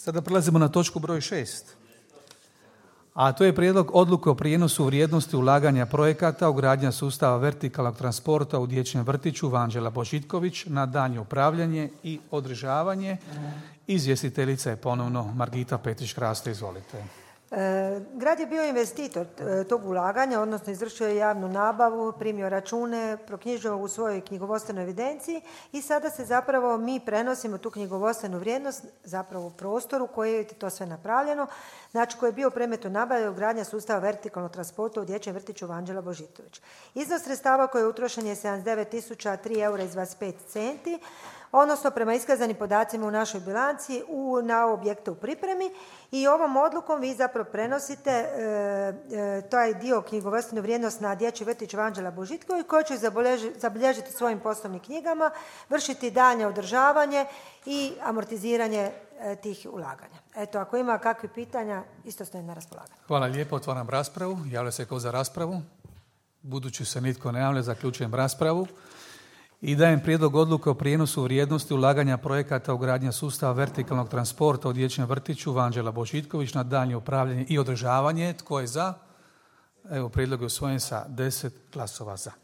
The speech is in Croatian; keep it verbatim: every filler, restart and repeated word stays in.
Sada prelazimo na točku broj šest. A to je prijedlog odluke o prijenosu vrijednosti ulaganja projekata ugradnja sustava vertikalnog transporta u dječjem vrtiću Vanđela Božitković na daljnje upravljanje i održavanje. Izvjestiteljica je ponovno Margita Petrić-Kraste, izvolite. E, grad je bio investitor tog ulaganja, odnosno izvršio je javnu nabavu, primio račune, proknjižio u svojoj knjigovodstvenoj evidenciji i sada se zapravo mi prenosimo tu knjigovodstvenu vrijednost zapravo u prostoru koji je to sve napravljeno, znači koji je bio u predmetu nabave ugradnja sustava vertikalnog transporta u dječjem vrtiću Vanđela Božitović. Iznos sredstava koji je utrošen je sedamdeset devet tisuća tri eura i dvadeset pet centi, odnosno prema iskazanim podacima u našoj bilanci u, na objekte u pripremi i ovom odlukom vi zapravo prenosite e, e, taj dio knjigovodstvenu vrijednost na dječji vrtić Vanđela Božitković koji će zabilježiti svojim poslovnim knjigama, vršiti daljnje održavanje i amortiziranje e, tih ulaganja. Eto, ako ima kakvih pitanja, isto stojim na raspolaganju. Hvala lijepo, otvaram raspravu. Javlja se ko za raspravu? Budući se nitko ne javlja, zaključujem raspravu. I dajem prijedlog odluke o prijenosu vrijednosti ulaganja projekata ugradnja sustava vertikalnog transporta u dječjem vrtiću Vanđela Božitković na daljnje upravljanje i održavanje. Tko je za? Evo, prijedlog je usvojen sa deset glasova za.